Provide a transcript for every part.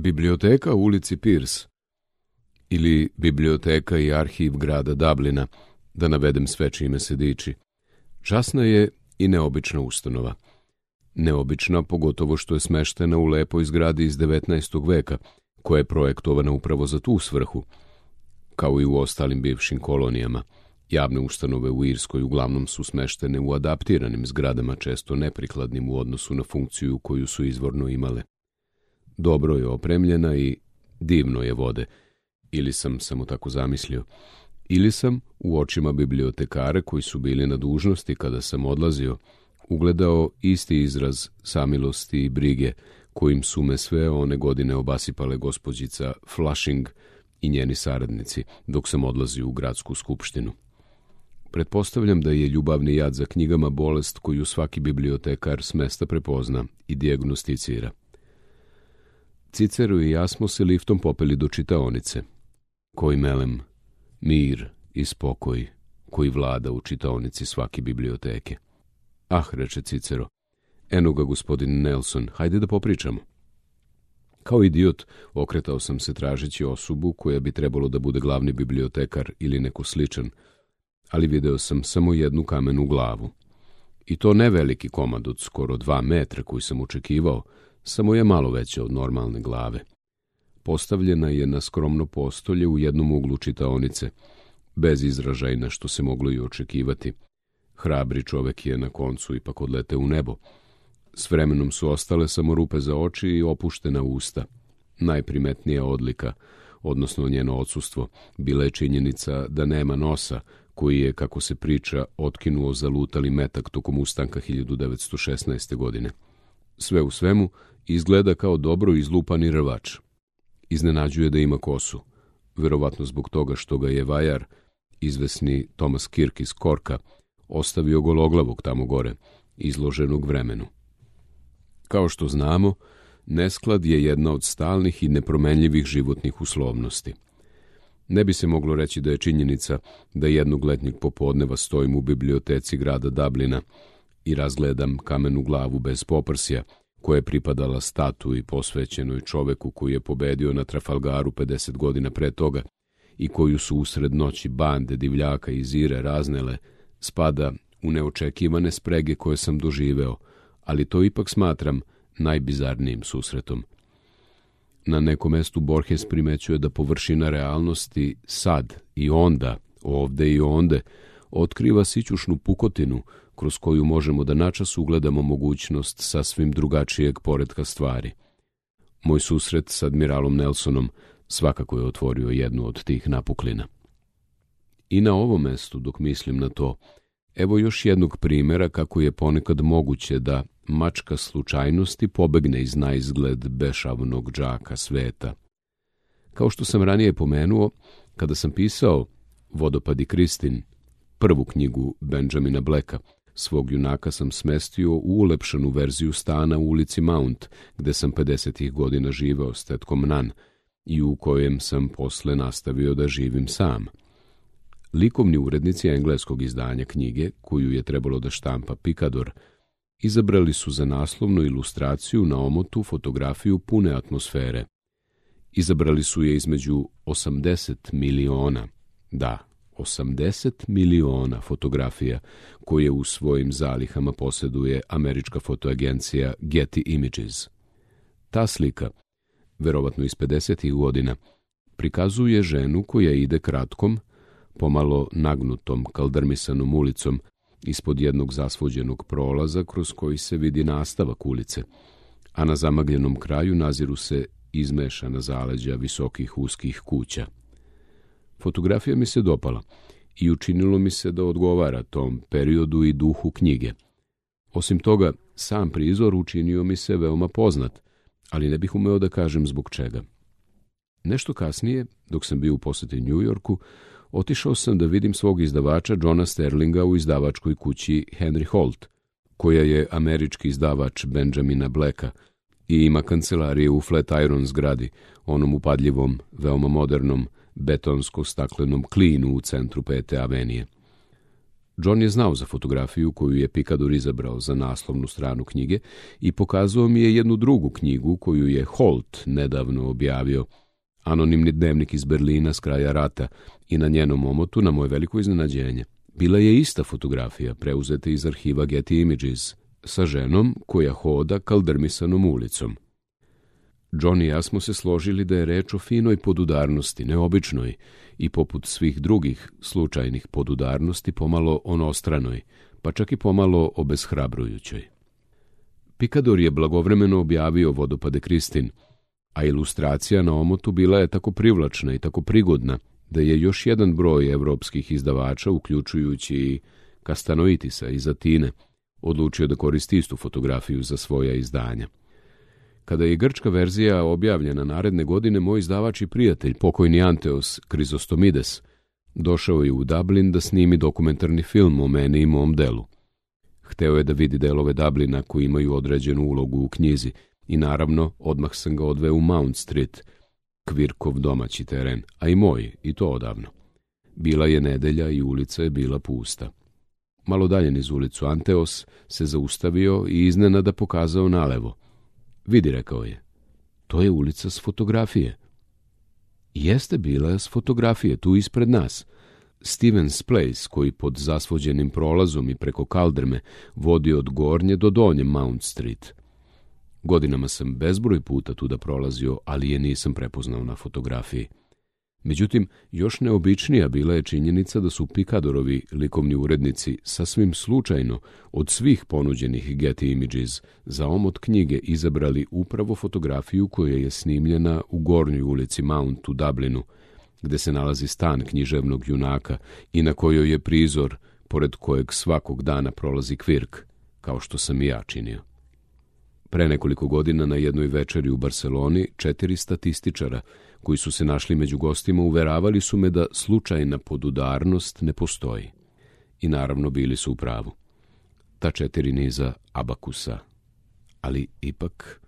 Biblioteka u ulici Pierce ili Biblioteka i arhiv grada Dublina, da navedem sve čime se diči. Časna je i neobična ustanova. Neobična pogotovo što je smeštena u lepoj zgradi iz 19. veka, koja je projektovana upravo za tu svrhu, kao i u ostalim bivšim kolonijama. Javne ustanove u Irskoj uglavnom su smeštene u adaptiranim zgradama, često neprikladnim u odnosu na funkciju koju su izvorno imale. Dobro je opremljena i divno je vode, ili sam samo tako zamislio, ili sam u očima bibliotekara koji su bili na dužnosti kada sam odlazio, ugledao isti izraz samilosti i brige kojim su me sve one godine obasipale gospođica Flushing i njeni saradnici dok sam odlazio u gradsku skupštinu. Pretpostavljam da je ljubavni jad za knjigama bolest koju svaki bibliotekar s mesta prepozna i dijagnosticira. Cicero i ja smo se liftom popeli do čitaonice. Koji melem, mir i spokoj koji vlada u čitaonici svake biblioteke. Ah, reče Cicero, eno ga gospodin Nelson, hajde da popričamo. Kao idiot okretao sam se tražeći osobu koja bi trebalo da bude glavni bibliotekar ili neko sličan, ali video sam samo jednu kamenu glavu. I to ne veliki komad od skoro 2 metra koji sam očekivao, samo je malo veća od normalne glave. Postavljena je na skromno postolje u jednom uglu čitaonice, bez izražajna što se moglo i očekivati. Hrabri čovek je na koncu ipak odleteo u nebo. S vremenom su ostale samo rupe za oči i opuštena usta. Najprimetnija odlika, odnosno njeno odsustvo, bila je činjenica da nema nosa, koji je, kako se priča, otkinuo zalutali metak tokom ustanka 1916. godine. Sve u svemu, izgleda kao dobro izlupani rvač. Iznenađuje da ima kosu, verovatno zbog toga što ga je vajar, izvesni Thomas Kirk iz Korka, ostavio gologlavog tamo gore, izloženog vremenu. Kao što znamo, nesklad je jedna od stalnih i nepromenljivih životnih uslovnosti. Ne bi se moglo reći da je činjenica da jednog letnjeg popodneva stojim u biblioteci grada Dublina i razgledam kamenu glavu bez poprsja, koja je pripadala statui posvećenoj čoveku koji je pobedio na Trafalgaru 50 godina pre toga i koju su usred noći bande divljaka iz Ire raznele, spada u neočekivane sprege koje sam doživeo, ali to ipak smatram najbizarnijim susretom. Na nekom mestu Borges primećuje da površina realnosti sad i onda, ovde i onde, otkriva sićušnu pukotinu kroz koju možemo da načas ugledamo mogućnost sasvim drugačijeg poretka stvari. Moj susret s admiralom Nelsonom svakako je otvorio jednu od tih napuklina. I na ovom mestu, dok mislim na to, evo još jednog primjera kako je ponekad moguće da mačka slučajnosti pobegne iz naizgled bešavnog džaka sveta. Kao što sam ranije pomenuo, kada sam pisao Vodopad i Kristin, prvu knjigu Benjamina Blacka, svog junaka sam smestio u ulepšanu verziju stana u ulici Mount, gde sam 50. godina živeo s tetkom Nan i u kojem sam posle nastavio da živim sam. Likovni urednici engleskog izdanja knjige, koju je trebalo da štampa Picador, izabrali su za naslovnu ilustraciju na omotu fotografiju pune atmosfere. Izabrali su je između 80 miliona, da, 80 miliona fotografija koje u svojim zalihama posjeduje američka fotoagencija Getty Images. Ta slika, verovatno iz 50. godina, prikazuje ženu koja ide kratkom, pomalo nagnutom kaldrmisanom ulicom ispod jednog zasvođenog prolaza kroz koji se vidi nastavak ulice, a na zamagljenom kraju naziru se izmešana zaleđa visokih uskih kuća. Fotografija mi se dopala i učinilo mi se da odgovara tom periodu i duhu knjige. Osim toga, sam prizor učinio mi se veoma poznat, ali ne bih umeo da kažem zbog čega. Nešto kasnije, dok sam bio u poseti New Yorku, otišao sam da vidim svog izdavača Johna Sterlinga u izdavačkoj kući Henry Holt, koja je američki izdavač Benjamina Blacka i ima kancelarije u Flatiron zgradi, onom upadljivom, veoma modernom, betonsko-staklenom klinu u centru 5. avenije. John je znao za fotografiju koju je Picador izabrao za naslovnu stranu knjige i pokazao mi je jednu drugu knjigu koju je Holt nedavno objavio, anonimni dnevnik iz Berlina s kraja rata, i na njenom omotu, na moje veliko iznenađenje, bila je ista fotografija preuzeta iz arhiva Getty Images sa ženom koja hoda kaldrmisanom ulicom. John i ja smo se složili da je reč o finoj podudarnosti, neobičnoj i poput svih drugih slučajnih podudarnosti pomalo onostranoj, pa čak i pomalo obeshrabrujućoj. Picador je blagovremeno objavio Vodopade Kristin, a ilustracija na omotu bila je tako privlačna i tako prigodna da je još jedan broj evropskih izdavača, uključujući i Kastanoitisa iz Atine, odlučio da koristi istu fotografiju za svoja izdanja. Kada je grčka verzija objavljena naredne godine, moj izdavač i prijatelj, pokojni Anteos Krizostomides, došao je u Dublin da snimi dokumentarni film o meni i mom delu. Hteo je da vidi delove Dublina koji imaju određenu ulogu u knjizi i naravno odmah sam ga odveo u Mount Street, Kvirkov domaći teren, a i moj, i to odavno. Bila je nedelja i ulica je bila pusta. Malo dalje niz ulicu Anteos se zaustavio i iznenada pokazao nalevo. Vidi, rekao je, to je ulica s fotografije. Jeste bila s fotografije, tu ispred nas. Stevens Place, koji pod zasvođenim prolazom i preko kaldrme vodi od gornje do donje Mount Street. Godinama sam bezbroj puta tuda prolazio, ali je nisam prepoznao na fotografiji. Međutim, još neobičnija bila je činjenica da su Picadorovi likovni urednici sasvim slučajno od svih ponuđenih Getty Images za omot knjige izabrali upravo fotografiju koja je snimljena u gornjoj ulici Mount u Dublinu, gde se nalazi stan književnog junaka i na kojoj je prizor pored kojeg svakog dana prolazi Kvirk, kao što sam i ja činio. Pre nekoliko godina na jednoj večeri u Barseloni 4 statističara koji su se našli među gostima uveravali su me da slučajna podudarnost ne postoji. I naravno bili su u pravu. Ta 4 niza abakusa. Ali ipak...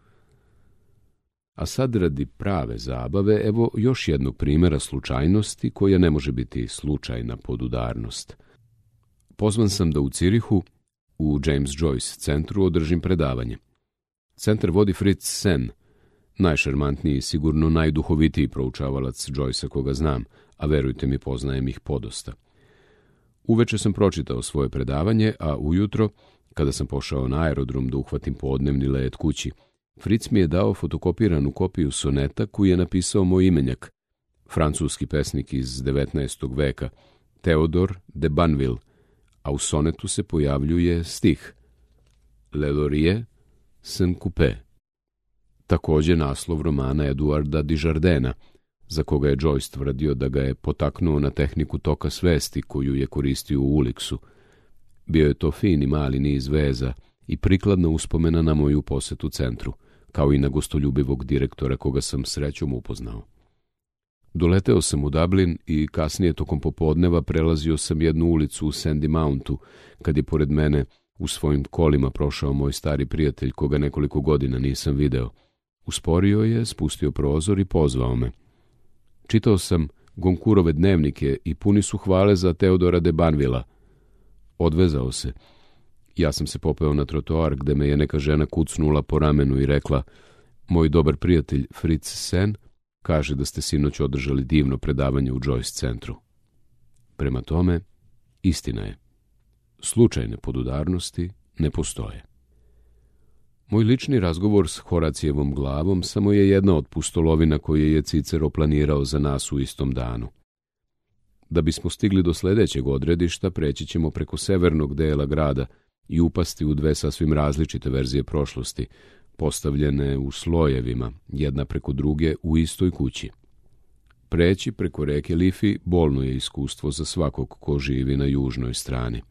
A sad radi prave zabave, evo još jednog primjera slučajnosti koja ne može biti slučajna podudarnost. Pozvan sam da u Cirihu, u James Joyce centru, održim predavanje. Centar vodi Fritz Sen, najšarmantniji i sigurno najduhovitiji proučavalac Joycea koga znam, a verujte mi, poznajem ih podosta. Uveče sam pročitao svoje predavanje, a ujutro, kada sam pošao na aerodrom da uhvatim podnevni let kući, Fritz mi je dao fotokopiranu kopiju soneta koju je napisao moj imenjak, francuski pesnik iz 19. veka, Theodore de Banville, a u sonetu se pojavljuje stih Le Laurier Saint Coupé, također naslov romana Eduarda Dijardena, za koga je Joyce tvrdio da ga je potaknuo na tehniku toka svesti koju je koristio u Uliksu. Bio je to fini mali niz veza i prikladna uspomena na moju posetu centru, kao i na gostoljubivog direktora koga sam srećom upoznao. Doleteo sam u Dublin i kasnije tokom popodneva prelazio sam jednu ulicu u Sandy Mountu, kad je pored mene u svojim kolima prošao moj stari prijatelj koga nekoliko godina nisam video. Usporio je, spustio prozor i pozvao me. Čitao sam Goncourtove dnevnike i puni su hvale za Teodora de Banvilla. Odvezao se. Ja sam se popeo na trotoar gde me je neka žena kucnula po ramenu i rekla: moj dobar prijatelj Fritz Sen kaže da ste sinoć održali divno predavanje u Joyce centru. Prema tome, istina je. Slučajne podudarnosti ne postoje. Moj lični razgovor s Horacijevom glavom samo je jedna od pustolovina koje je Cicero planirao za nas u istom danu. Da bismo stigli do sljedećeg odredišta, preći ćemo preko severnog dela grada i upasti u 2 sasvim različite verzije prošlosti, postavljene u slojevima, jedna preko druge u istoj kući. Preći preko reke Lifi bolno je iskustvo za svakog ko živi na južnoj strani.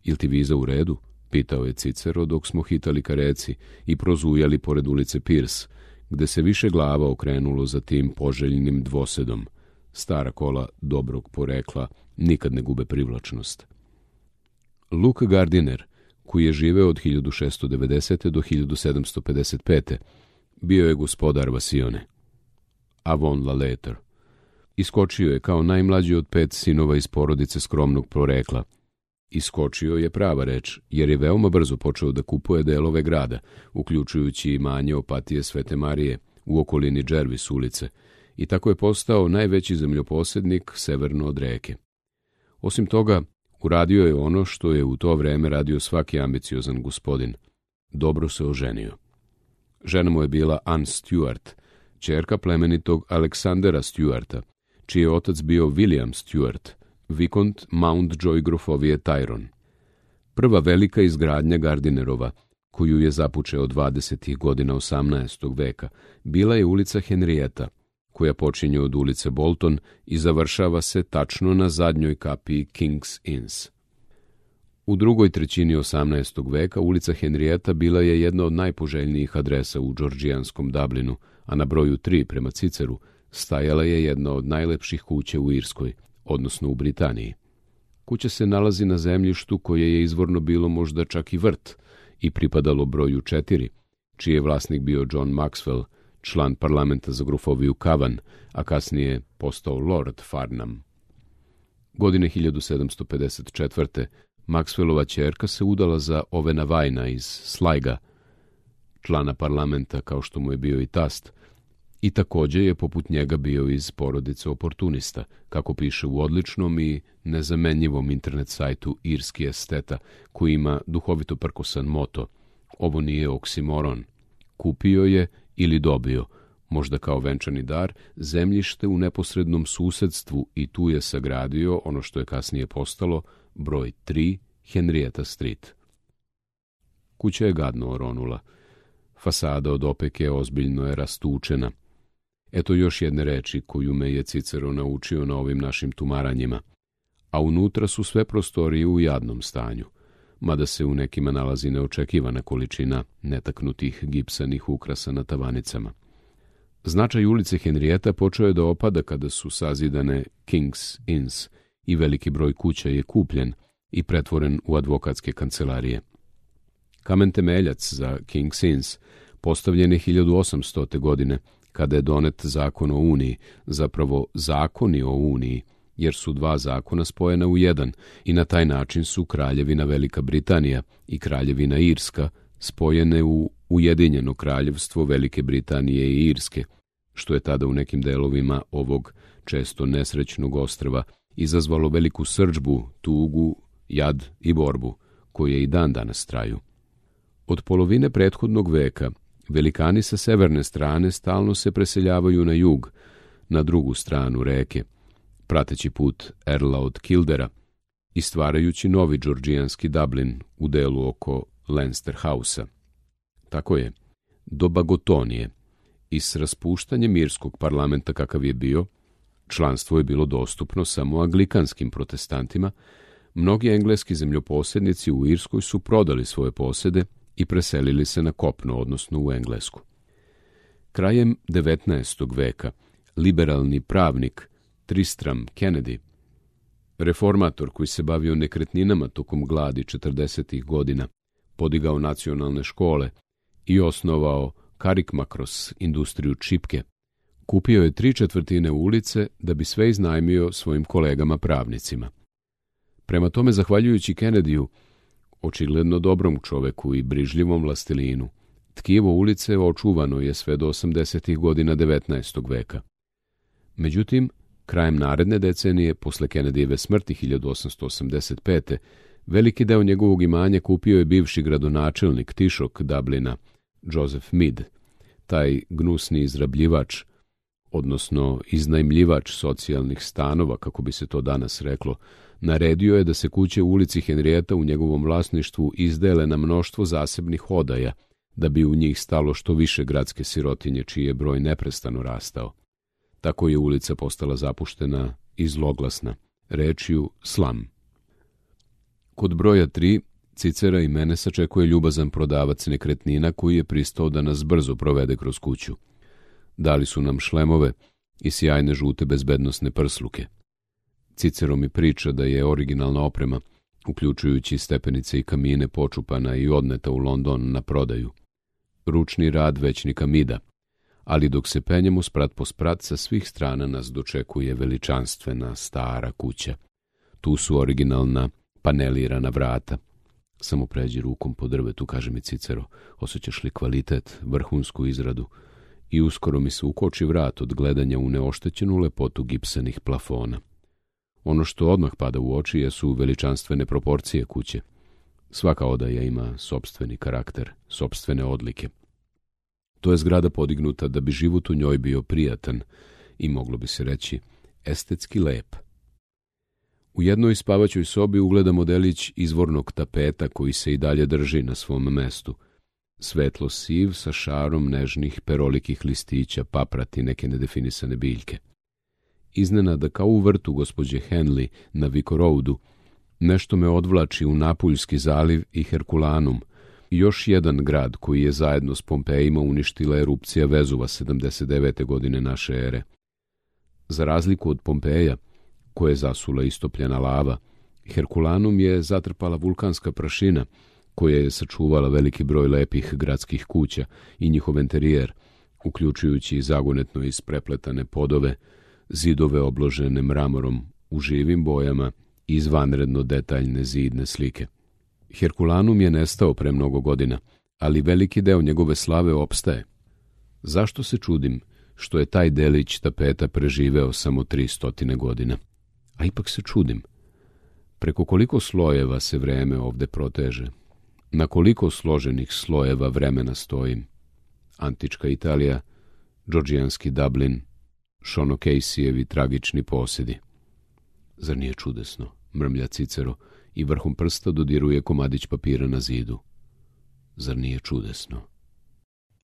Jel ti viza u redu? Pitao je Cicero dok smo hitali ka reci i prozujali pored ulice Pierce, gde se više glava okrenulo za tim poželjnim dvosedom. Stara kola dobrog porekla nikad ne gube privlačnost. Luke Gardiner, koji je živeo od 1690. do 1755. bio je gospodar Vasione. Avon la lettre. Iskočio je kao najmlađi od 5 sinova iz porodice skromnog porekla. Iskočio je prava reč, jer je veoma brzo počeo da kupuje delove grada, uključujući imanje Opatije Svete Marije u okolini Džervis ulice, i tako je postao najveći zemljoposednik severno od reke. Osim toga, uradio je ono što je u to vreme radio svaki ambiciozan gospodin. Dobro se oženio. Žena mu je bila Anne Stuart, ćerka plemenitog Aleksandera Stuarta, čiji je otac bio William Stuart, vikont Mountjoy grofovije Tyrone. Prva velika izgradnja Gardinerova, koju je započeo 20. godina 18. veka, bila je ulica Henrietta, koja počinje od ulice Bolton i završava se tačno na zadnjoj kapiji King's Inns. U drugoj trećini 18. veka ulica Henrietta bila je jedna od najpoželjnijih adresa u džordžijanskom Dublinu, a na broju 3 prema Ciceru stajala je jedna od najlepših kuća u Irskoj, odnosno u Britaniji. Kuća se nalazi na zemljištu koje je izvorno bilo možda čak i vrt i pripadalo broju 4, čiji je vlasnik bio John Maxwell, član parlamenta za grofoviju Cavan, a kasnije postao Lord Farnham. Godine 1754. Maxwellova ćerka se udala za Ovena Vajna iz Sliga, člana parlamenta kao što mu je bio i tast, i također je poput njega bio iz porodice oportunista, kako piše u odličnom i nezamenjivom internet sajtu Irski esteta, koji ima duhovito prkosan moto: ovo nije oksimoron. Kupio je ili dobio, možda kao venčani dar, zemljište u neposrednom susedstvu i tu je sagradio ono što je kasnije postalo broj 3 Henrietta Street. Kuća je gadno oronula. Fasada od opeke ozbiljno je rastučena. Eto još jedne reči koju me je Cicero naučio na ovim našim tumaranjima. A unutra su sve prostorije u jadnom stanju, mada se u nekima nalazi neočekivana količina netaknutih gipsanih ukrasa na tavanicama. Značaj ulice Henrietta počeo je da opada kada su sazidane King's Inns i veliki broj kuća je kupljen i pretvoren u advokatske kancelarije. Kamen temeljac za King's Inns postavljen je 1800. godine, kada je donet zakon o Uniji, zapravo zakoni o Uniji, jer su dva zakona spojena u jedan i na taj način su Kraljevina Velika Britanija i Kraljevina Irska spojene u Ujedinjeno kraljevstvo Velike Britanije i Irske, što je tada u nekim delovima ovog često nesrećnog ostrva izazvalo veliku srdžbu, tugu, jad i borbu, koje i dan danas traju. Od polovine prethodnog veka velikani sa severne strane stalno se preseljavaju na jug, na drugu stranu reke, prateći put Erla od Kildera i stvarajući novi džordžijanski Dublin u delu oko Leinster Housea. Tako je, do Bagotonije i s raspuštanjem irskog parlamenta kakav je bio, članstvo je bilo dostupno samo anglikanskim protestantima, mnogi engleski zemljoposednici u Irskoj su prodali svoje posede i preselili se na kopno, odnosno u Englesku. Krajem 19. veka liberalni pravnik Tristram Kennedy, reformator koji se bavio nekretninama tokom gladi 40. godina, podigao nacionalne škole i osnovao Carrickmacross industriju čipke, kupio je 3/4 ulice da bi sve iznajmio svojim kolegama pravnicima. Prema tome, zahvaljujući Kennedyu, očigledno dobrom čoveku i brižljivom vlastelinu, tkivo ulice očuvano je sve do 80. godina 19. veka. Međutim, krajem naredne decenije, posle Kennedyjeve smrti 1885. veliki deo njegovog imanja kupio je bivši gradonačelnik Tišok Dublina, Joseph Mead. Taj gnusni izrabljivač, odnosno iznajmljivač socijalnih stanova, kako bi se to danas reklo, naredio je da se kuće u ulici Henrietta u njegovom vlasništvu izdele na mnoštvo zasebnih odaja, da bi u njih stalo što više gradske sirotinje, čiji je broj neprestano rastao. Tako je ulica postala zapuštena i zloglasna, rečju slam. Kod broja 3 Cicera i mene sačekuje ljubazan prodavac nekretnina koji je pristao da nas brzo provede kroz kuću. Dali su nam šlemove i sjajne žute bezbednosne prsluke. Cicero mi priča da je originalna oprema, uključujući stepenice i kamine, počupana i odneta u London na prodaju. Ručni rad većnika Mida, ali dok se penjemo sprat po sprat, sa svih strana nas dočekuje veličanstvena stara kuća. Tu su originalna panelirana vrata. Samo pređi rukom po drvetu, kaže mi Cicero, osjećaš li kvalitet, vrhunsku izradu, i uskoro mi se ukoči vrat od gledanja u neoštećenu lepotu gipsanih plafona. Ono što odmah pada u oči jesu veličanstvene proporcije kuće. Svaka odaja ima sopstveni karakter, sopstvene odlike. To je zgrada podignuta da bi život u njoj bio prijatan i, moglo bi se reći, estetski lep. U jednoj spavaćoj sobi ugledamo delić izvornog tapeta koji se i dalje drži na svom mestu. Svetlo siv sa šarom nežnih perolikih listića, paprati, neke nedefinisane biljke. Iznenada, kao u vrtu gospođe Henley na Vico Roadu, nešto me odvlači u Napuljski zaliv i Herkulanum, još jedan grad koji je zajedno s Pompejima uništila erupcija Vezuva 79. godine naše ere. Za razliku od Pompeja, koje je zasula istopljena lava, Herkulanum je zatrpala vulkanska prašina, koja je sačuvala veliki broj lepih gradskih kuća i njihov enterijer, uključujući i zagonetno isprepletane podove, zidove obložene mramorom u živim bojama i izvanredno detaljne zidne slike. Herkulanum je nestao pre mnogo godina, ali veliki deo njegove slave opstaje. Zašto se čudim što je taj delić tapeta preživeo samo 300 godina? A ipak se čudim. Preko koliko slojeva se vreme ovde proteže? Na koliko složenih slojeva vremena stojim? Antička Italija, džordžijanski Dublin, Sean O'Casey-evi tragični posjedi. Zar nije čudesno? Mrmlja Cicero i vrhom prsta dodiruje komadić papira na zidu. Zar nije čudesno?